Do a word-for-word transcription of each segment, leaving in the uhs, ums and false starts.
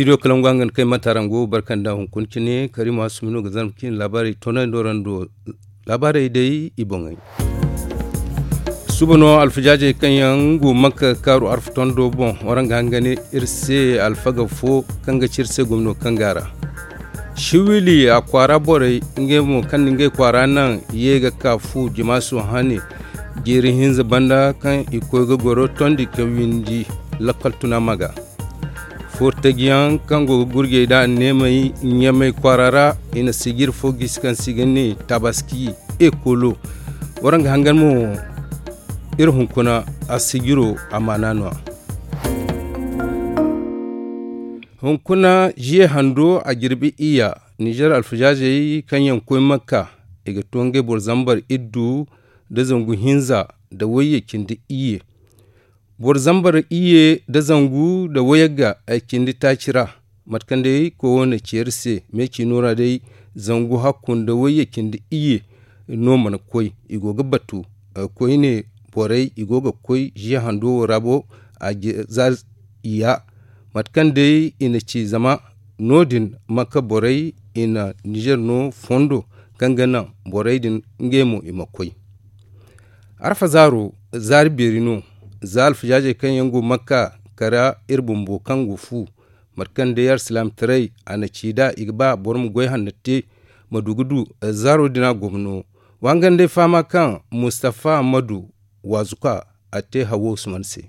Studio kalangu hangan kay mata rango barkanda hunkuna cine karima sumino ga zarma cine laabaarey tonay no rando. Laabaarey day i boŋey. Suba no alfajaajey kaŋ yaŋ go makka kaaru arfa tondo boŋ waraŋ ga hangane iri se alfaga fo kaŋ ga ci iri se gomno kaŋ ga a ra. Siwili a kwaara borey ngey mo kaŋ na ngey kwaara naŋ ye ga ka fu jimaaso hane jeeri hinza banda kaŋ i koy ga goro tondi ka windi lakkal tuna maga. Fortagiyaŋ kaŋ go ga gurjey da anneemey ɲamey kwaara ra i na sijir fo gisi kaŋ se i ga ne tabaski ekolo. Waraŋ ga hangan mo iri hunkuna a sijiro amaana no a. Hunkuna jiye hando a jirbi iyya nizer alfajaazey kaŋ yaŋ koy makka i ga to ngey boro zambar iddu nda zangu hinza nda wayye cindi iyye. Boro zambar iyye nda zangu nda wayagga ay cindi taaci ra. Mate kaŋ day koy wane ceeri se me ciino ra day zangu hakku nda wayye cindi iyye no mana koy i go ga batu. Koyne borey i go ga koy ziya hando wo ra bo a za i ya. Mate kaŋ day i na ci zama no- din makka borey i na nizer no fondo kaŋ ga naŋ borey din ngey mo i ma koy. Arfa zaaro zaari beeri no za alfajaazey kaŋ yaŋ go makka kara iri bumbo kaŋ go fu. Mate kaŋ day alsilaamataray a na ci nd'a i ga ba boro ma goy hanno te ma du ga du zaaro din a gomno. Wa hangan day fahama kaŋ mustafa ammadu waazuka a te hawo usman se.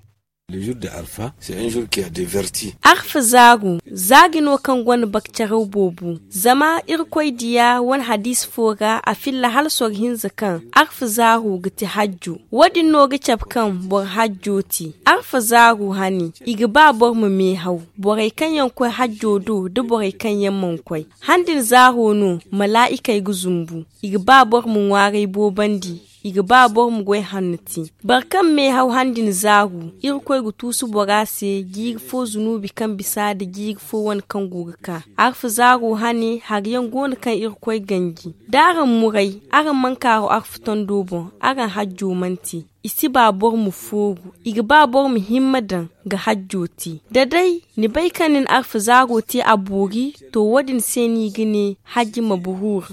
Arfa zaagu zaagi no kaŋ gonda bakcaraw boobo zama irkoy diya wane hadiisi fo ra a filla hala soro hinza kaŋ arfa zaaru ga ti hajjo. Wo- din no ga cabe kaŋ boro hajjo te arfa zaaru hane i ga ba boro ma meehaw. Borey kaŋ yaŋ koy hajjo do nda borey kaŋ yaŋ mana koy han din zaaro no malaa'ikey ga zumbu. I ga ba boro ma ŋwaaray boobandi i ga ba boro ma goy hanno te. Boro kaŋ meehaw han din zaaru irkoy ga tuusu bora se jiiri fo zunuubi kaŋ bisa nda jiiri fo wane kaŋ go ga ka. Arfa zaaro hane hari yaŋ go no kaŋ irkoy ganji da araŋ muray araŋ mana kaaru arfa tondo boŋ araŋ hajjo mana te. I si ba boro ma fooru i ga ba boro ma himma daŋ ga hajjo te da day ni bay kaŋ ni na arfa zaaro te a boori to wo- din se no i ga ne hajji maburuur.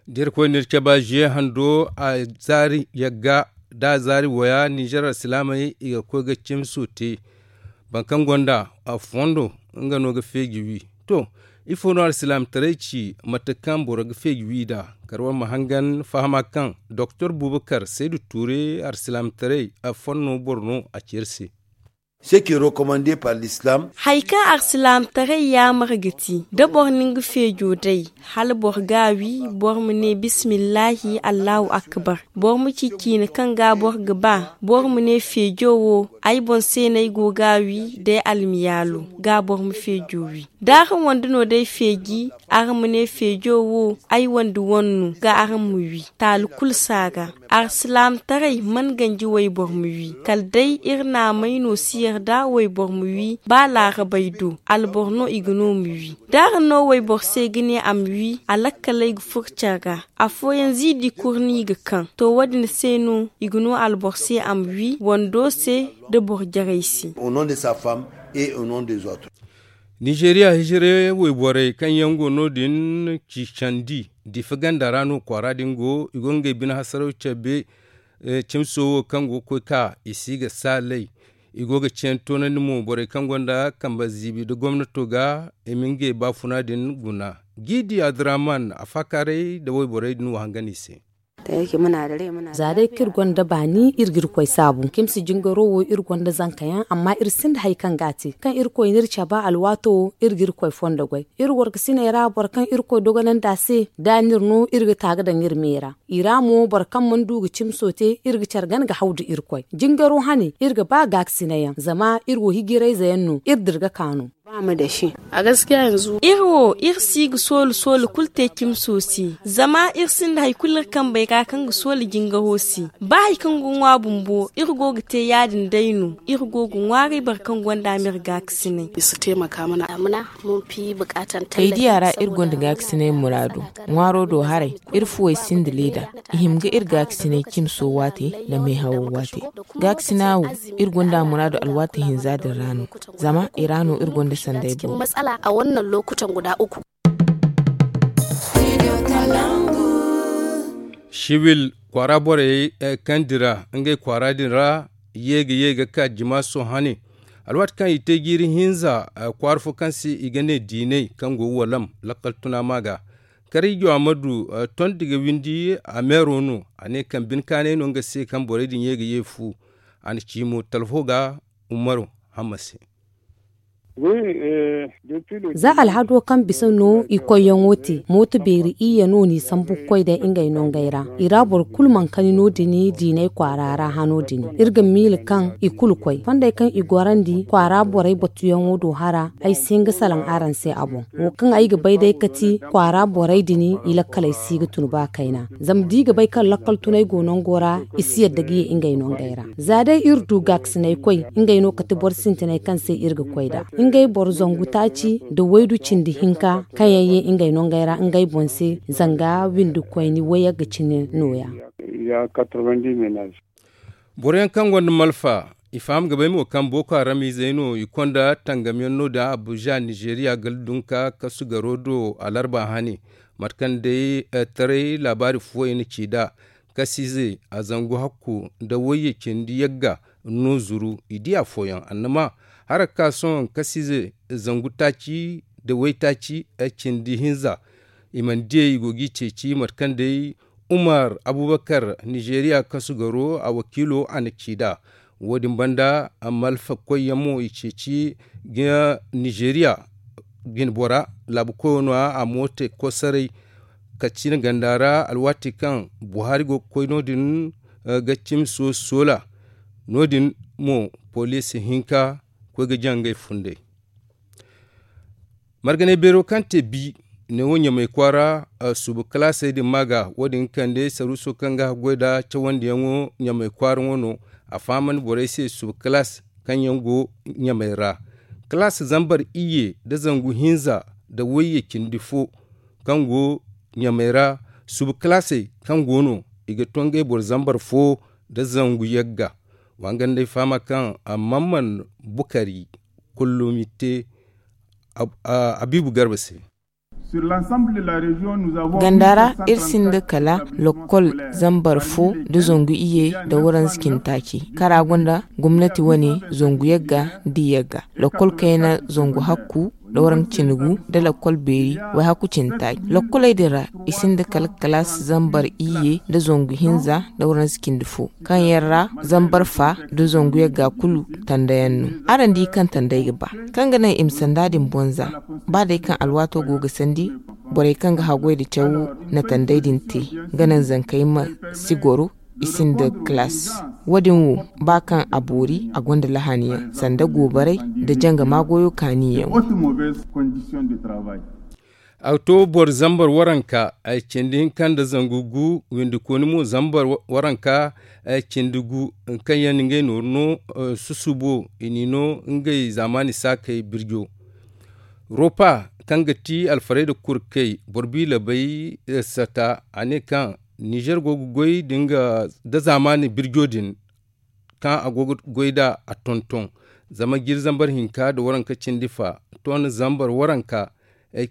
Da irkoy na iri cabe ziye hando a zaari yagga da a zaari waya ninzeer alsilaamey i ga koy ga cimso te. Boro kaŋ gonda a fondo nga no ga feeji wi. To ifo no alsilaamataray ci mate kaŋ boro ga feeji wi nd'a? Kala war ma hangan fahama kaŋ doktor bubakar saydu tuure alsilaamataray a fonno boro no a ci iri se. Hari kaŋ alsilaamataray yaamar ga ti da boro na nga feejo day hala boro ga a wi boro ma ne bismillaahi allahu akbar. Boro ma ci ciine kaŋ ga boro ga ba boro ma ne feejo wo ay boŋ se no ay go ga a wi day almiyaalo ga boro ma feejo wi. Da araŋ wande no day feeji araŋ ma ne feejo wo ay wande wane no ga araŋ ma wi taali kulu si a ga. Alsilaamataray mana ganji wayboro ma wi kala day iri naamay no si yarda wayboro ma wi ba laarabey do alboro no i ga no ma wi. Da araŋ no wayboro se ga ne a ma wi a lakkaley ga furo care ra. Afooyaŋ ziidi kuru no i ga kaŋ to wo- din se no i ga no alboro se a ma wi wando se nda boro jarey se. Nizeeriya hijire wayborey kaŋ yaŋ go no- din ci candi difa ganda ra no kwaara din go i go ngey bine hasaraw cabe. Cimso wo kaŋ go ga koy ka i si ga saalay i go ga ceeni toonandi mo borey kaŋ gonda kambe ziibi nda gomnato ga i ma ngey baafuna din guna. Jiidi abdurrahman a faakaaray nda wayborey din wo hangan i se. Za day kaŋ iri gonda baani iri ga irkoy saabu cimsi jingaro wo iri gonda zanka yaŋ amma iri sinda hari kaŋ ga a te kaŋ irkoy na iri cabe alwaato wo iri ga irkoy fondo goy. Iri wargasiney ra boro kaŋ irkoy dogonandi a se da a na iri no iri ga ta ga daŋ iri me ra. I ra mo boro kaŋ mana du ga cimso te iri ga care gana ga haw nda irkoy jingaro hane iri ga ba gaakasinay yaŋ zama iri wo hijirayze yaŋ no iri dira ga ka no. Iri wo iri si ga soolu soolu kulu te cimso se zama iri sinda hari kulu iri kambey ra kaŋ ga soolu jingaro se. Ba hari kaŋ ga ŋwa bumbo iri go ga te ya- din day no iri go ga ŋwaaray boro kaŋ gonda ma iri gaakasinay. Kaydiya ra iri gonda gaakasinay muraadu ŋwaaro do haray. Iri fuwey sinda leeda I hima ga iri gaakasinay cimso waate nda meehawo waate. Gaakasina wo, iri gonda a muraadu alwaati hinza din ra no. Zama i ra no iri gonda sanday boobo. Siwil kwaara borey kaŋ dira ngey kwaara din ra, ye ga ye ga ka jimaaso hane. Alwaati kaŋ i te jiiri hinza kwaara fo kaŋ se i ga ne diinay kaŋ go walam lakkal tuna ma ga. Karijo amadu tondi ga windi a meero no. A ne kaŋ bine kaanay no nga se kaŋ borey din ye ga ye fu. A na ci mo talfo ga umaru hamma se. Za alhado kaŋ bisa no i koyyaŋo te mooto beeri iyye no n'i sambu ga koy day ngey no ngey ra. I ra boro kulu mana kani no- din diinay kwaara ra hano din. Iri ga miila kaŋ i kulu koy fondey kaŋ i gorandi kwaara borey batuyaŋo do hara. Ay si hin ga salaŋ araŋ se a boŋ. Wo kaŋ ay ga bay day kati kwaara borey din i lakkaley si ga tun ba kayna. Zama da i ga bay kaŋ lakkal tunay go nango ra, i si yadda ga ye ngey no ngey ra. Za day iri du gaakasinay koy, ngey no kati boro sintinay kaŋ se iri ga koy nd'a. Ngey boro zangu taaci nda waydu cindi hinka kaŋ yaŋ ye ngey no ngey ra ngey boŋ se, zanga windi koyni wayagga cine nooya. Boro yaŋ kaŋ gonda malfa, i faham ga bay mo kaŋ booko haram izey no i konda tangam yaŋ no- din abuja nizeeriya gala dunka kasu garo do alarba hane. Mate kaŋ day taray laabaari fooyaŋ na ci nd'a. Kasiize a zangu hakku nda wayye cindi yagga no zuru i di afooyaŋ annama, hara ga ka sohõ kasiize zangu taaci nda waytaaci cindi hinza. I mana diyey i go g'i ceeci mate kaŋ day umar abubakar nizeeriya kasu garo a wakiilo a na ci nd'a. Wo-din banda malfa koyyaŋ mo i ceeci ga nizeeriya jinbora laabu koyo no- ya a moote kosaray. Katsina ganda ra alwaati kaŋ buhari go ga koy no- din ga cimi soola. No- din mo poliisi hinka koy ga jaŋ ngey funday. Marganay beero kaŋ te bi neewo ɲamay kwaara suba kalaasey din ma ga wo- din ga kande saruuso kaŋ ga haggoy nd'a cawandiyaŋo ɲamay kwaaraŋo no. A fahamandi borey se suba kalaas kaŋ yaŋ go ɲamay ra. Kalaas zambar iyye nda zangu hinza nda wayye cindi fo kaŋ go ɲamay ra. Suba kalaasey kaŋ go no i ga to ngey boro zambar fo nda zangu yagga. Wa nga nda ay fahama kaŋ a man man bukari kullum i te abiibu garba se. Ganda ra iri sinda kala lokkol zambar fo nda zangu iyye nda waranza cindi taaci kaŋ ra gonda gomnati wane zangu yagga nda iyye ga lokkol kayna zangu hakku nda waranza cindi gu nda lokkol beeri. Wayhakku cindi taaci lokkoley din ra i sinda kala kalaas zambar iyye nda zangu hinza nda waranza cindi fo kaŋ yaŋ ra zambar fa nda zangu yagga kulu tanda yaŋ no. Araŋ di kaŋ tandey ga ba kaŋ ga naŋ i ma sanda din boŋ za ba day kaŋ alwaato go ga sandi. Borey kaŋ ga haggoy nda cawo na tandey din te ga naŋ zankey ma si goro i sinda kalaas. Wo- din wo ba kaŋ a boori a gonda lahaniyaŋ sanda goobaray nda jangama goyo kaaniyaŋo. A to boro zambar waranka cindi hinka nda zangu gu windi kooni mo zambar waranka cindi gu kaŋ yaŋ na ngey nooru no. Susubo i n'i no ngey zaamaani saakey birjo. Ropa kaŋ ga ti alfarayda kurkey boro biilabay sata a ne kaŋ nizer go ga goy nda zaamaani birjo din kaŋ a go ga goy nd'a a tonton. Zama jiiri zambar hinka nda waranka cindi fa ton zambar waranka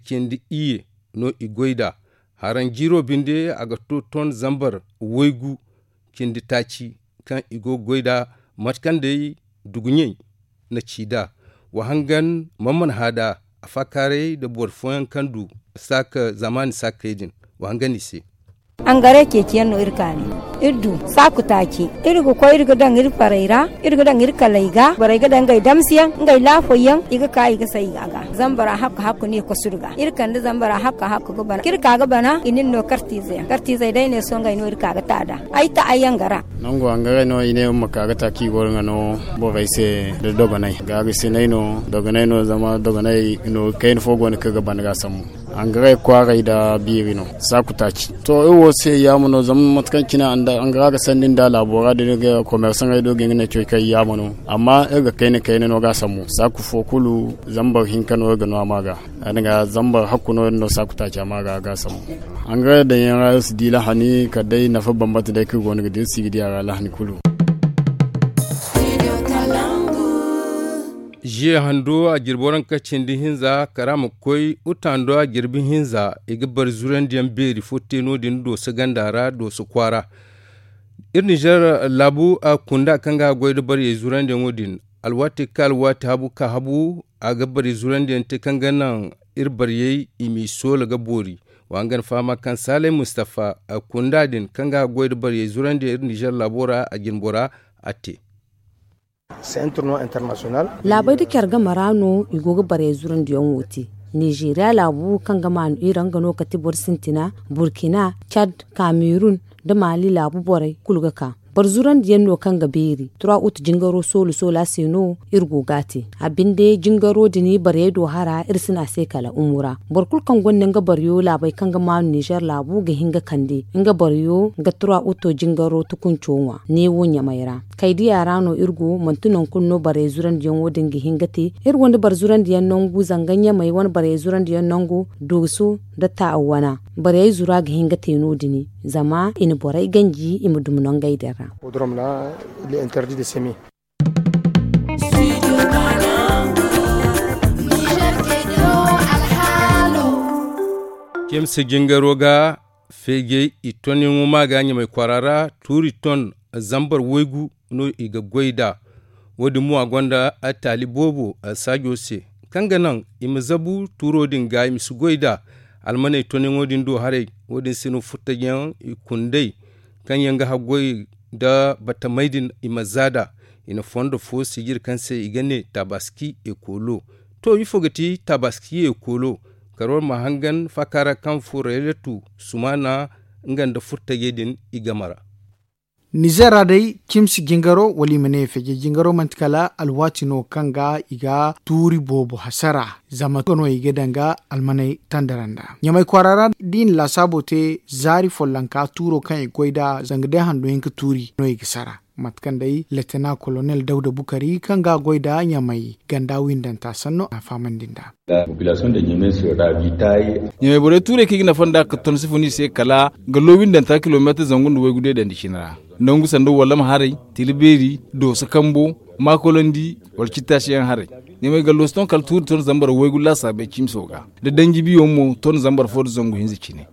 cindi iyye no i goy nd'a. Haraŋ jiiro binde a ga to ton zambar waygu cindi taaci kaŋ i go ga goy nd'a. Mate kaŋ day duguɲey na ci nd'a wa hangan man mana hã nd'a afaakaaray nda boro fooyaŋ kaŋ du saaka zaamaani saakey din wa hangan i se. Angare ceeciyaŋ no iri kaani iri du saaku taaci. Iri ga koy iri ga daŋ iri farey ra iri ga daŋ iri kaley ga borey ga daŋ ngey damsiyaŋ ngey laafoyyaŋ i ga ka i ga say a ga. Zambara hakka hakku no i kosudu ga iri kande zambara hakka hakku ga bana kaŋ iri ka ga bana i nin no kartiizeyaŋ kartiizey day ne sohõ ngey no iri ka ga ta nd'a. Ay ta ay yangara. Nangu hangaray no i ne ma ka ga ta kaŋ i goro nga no borey se nda dogonay gaagasinay no dogonay no zama dogonay no kayna fo go no kaŋ ga bana ga sambu. Hangaray kwaaray nda biiri no saaku taaci. To iri wo se yaama no zama mate kaŋ cine, hangaray ga sanni nda laabo ra din ga komersaŋey do ga nga ne coy kaŋ yaama no. Amma iri ga kayna kayna no ga a sambu saaku fo kulu zambar hinka no iri ga no a ma ga. Ya- din ga zambar hakku no iri no saaku taaci a ma ga a ga a sambu. Hangaray daŋ yaŋ ra iri si di lahani kala day nafa bambata day kaŋ iri go no ga di iri si ga di a ra lahani kulu. Ziye hando a jirbi waranka cindi hinza kara ma koy uta hando a jirbi hinza i ga bari zurandiyaŋ beeri fo te no- din dooso ganda ra dooso kwaara. Iri nizer laabu a kunda kaŋ ga a goy nda bariyey zurandiyaŋo din. Alwaati ka alwaati habu ka habu a ga bariyey zurandiyaŋ te kaŋ ga naŋ iri bariyey i m'i soola ga boori. Wa nga na fahama kaŋ saalay mustafa a kunda din kaŋ ga a goy nda bariyey zurandiyaŋ iri nizer laabo ra a jinbora a te. Laabey nda care game ra no i go ga barey zurandiyaŋo te. Nizeeriya laabu kaŋ ga maanu iri nga no kate boro sintina, burkina, cad, kamerun, nda maali laabu borey kulu ga ka. Boro zurandiyaŋ no kaŋ ga beeri turawa utu jingaro soolu soola se no iri go ga a te. A binde jingaro din bariyey do hara iri si ne a se kala umura. Boro kulu kaŋ gonda nga bariyo laabey kaŋ ga maanu nizer laabu ga hin ga kande nga bariyo ga turawa uto jingaro tukunco ŋwa neewo ɲamey ra. Kaydiya ra no iri go manti nangu kulu no barey zurandiyaŋo din ga hin ga te. Iri gonda boro zurandiyaŋ nangu zanga ɲamey wane barey zurandiyaŋ nangu dooso nda taawa wana. Barey zura ga hin ga te no- din zama i na borey ganji i ma dumi nangey din ra. Cimsi jingaro ga feejey i tonyaŋo ma ga ɲamey kwaara ra tuuri ton zambar waygu no i ga goy nd'a. Wo- din mo a gonda taali boobo saajo se kaŋ ga naŋ i ma zabu tuuro din ga i ma si goy nd'a. Almaney tonyaŋo din do haray wo- din se no furtajyaŋ i kundey kaŋ yaŋ ga haggoy nda batamey din i ma za nd'a. I na fondo fo sijiri kaŋ se i ga ne tabaski ekolo. To ifo ga ti tabaski ekolo? Kala war ma hangan faaka ra kaŋ furayratu sumaana nga nda furtajey din i game ra. Nizer ra day cimsi jingaro wala i ma ne feeje jingaro manti kala alwaati no kaŋ ga i ga tuuri boobo hasara. Zama nga no i ga daŋ ga almaney tandara nd'a ɲamey kwaara ra da i na laasaabo te zaari follonka tuuro kaŋ i goy nd'a zanga day hando hinka tuuri no i ga sara. Mate kaŋ day letena kolonel dawda bukari kaŋ ga a goy nd'a ɲamey ganda windanta sanno a fahamandi nd'a. Ɲamey borey tuurey kaŋ i ga nafa nd'a ka ton si fun i se kala gallo windanta kilomeetar zangu nda waygu day dandi cine ra. Nangu sanda wallama haray, tila beeri, dooso kambo, maakolandi, wala cittaasiyaŋ haray. Ɲamey gallo si ton kala tuuri ton zambar waygu laasaabey cimso ga. Da danji biyo mo ton zambar fo nda zangu hinza cine.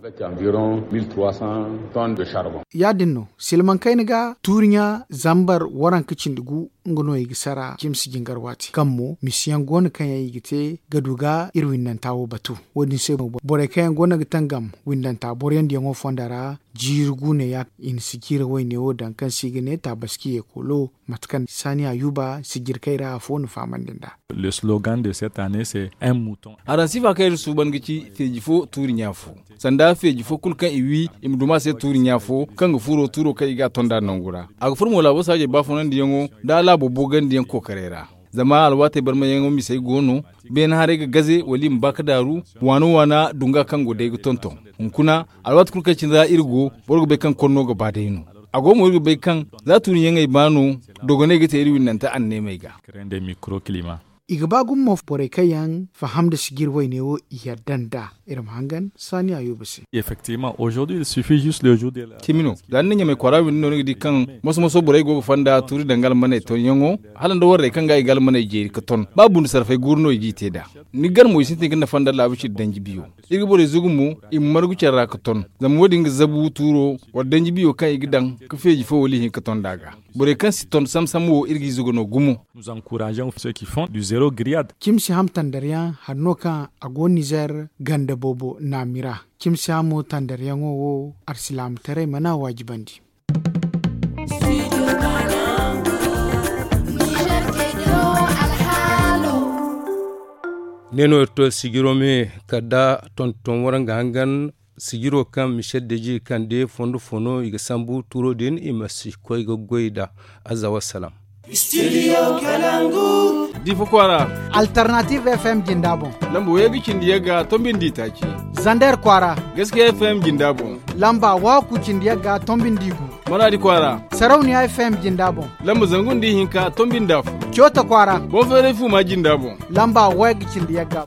Ya- din no silmaŋ kayna ga tuuri ɲa zambar waranka cindi gu nga no i ga sara cimsi jingar waati kaŋ mo misiyaŋ go no kaŋ yaŋ i ga te ga du ga iri windanta wo batu. Wo- din se mo borey kaŋ yaŋ go no ga tangam windanta boroyaŋ diyaŋo fonda ra jiiri guuneya i na sijira wayne wo daŋ kaŋ se i ga ne tabaski ekolo. Mate kaŋ saani ayuba sijirkey ra afo na fahamandi nd'a. Araŋ sifa kaŋ iri suuban ga ci feeji fo tuuri ɲa fo. Sanda feeji fo kulu kaŋ i wi i ma duma se tuuri ɲa fo kaŋ ga furo tuuro kaŋ i ga a ton nd'a nangu ra. A ga furo mo laabo saajey baafunandiyaŋo nda laabo boogandiyaŋ kookaray ra. Zama alwaatey barmayaŋo misey go no. Beene haray ga gaze wala i ma ba ga daaru waana waana dunga kaŋ go day ga tonton. Hunkuna alwaati kulu kaŋ cine ra iri go boro ga bay kaŋ konno ga ba day no. A go mo iri ga bay kaŋ za tuuriyaŋey ba no dogoney ga te iri winnante anneemey ga. I ga ba gumo borey kaŋ yaŋ faham nda sijir wayne wo i yadda nd'a. Iri ma hangan saani ayuba se. Cimi no za ni na ɲamay kwaara windi no ni ga di kaŋ moso moso borey go ga fonda tuuri danga almaney tonyaŋo hala nda warrey kaŋ ga i ga almaney jeeri ga ton ba bundu sarfay guuru no i g'i te nd'a. Ni gar mo i sintin ga nafa nda laabu cindi danji biyo. Iri ga borey zugu mo i ma margu care ra ga ton. Zama wo- din ga zabu tuuro wala danji biyo kaŋ i ga daŋ ga feeji fo wala i hin ga ton nd'a ga. Borey kaŋ si ton sam sam wo iri g'i zugu no gumo. Cimsi ham tandaryaŋ hari no kaŋ a go nizer ganda boobo naami ra. Cimsi hamo tandaryaŋo wo arsilaamataray mana waajibandi. Ne no iri to sijiro me kala da tonton waraŋ ga hangan sijiro kaŋ michel deji kande fondo fo no i ga sambu tuuro din i ma si koy ga goy nd'a. Azza wassalam. Difo kwaara. Alternative fm jinda boŋ. Lamba wayey ga cindi yagga tombi nda i taaci. Zander kwaara. Gaskiya f m jinda boŋ. Lamba waaku cindi yagga tombi nda igu. Maraadi kwaara. Sarauniya f m jinda boŋ. Lamba zangu nda ihinka tombi nda afo. Coota kwaara. Boŋ feeray fuuma jinda boŋ. Lamba wayga cindi yagga.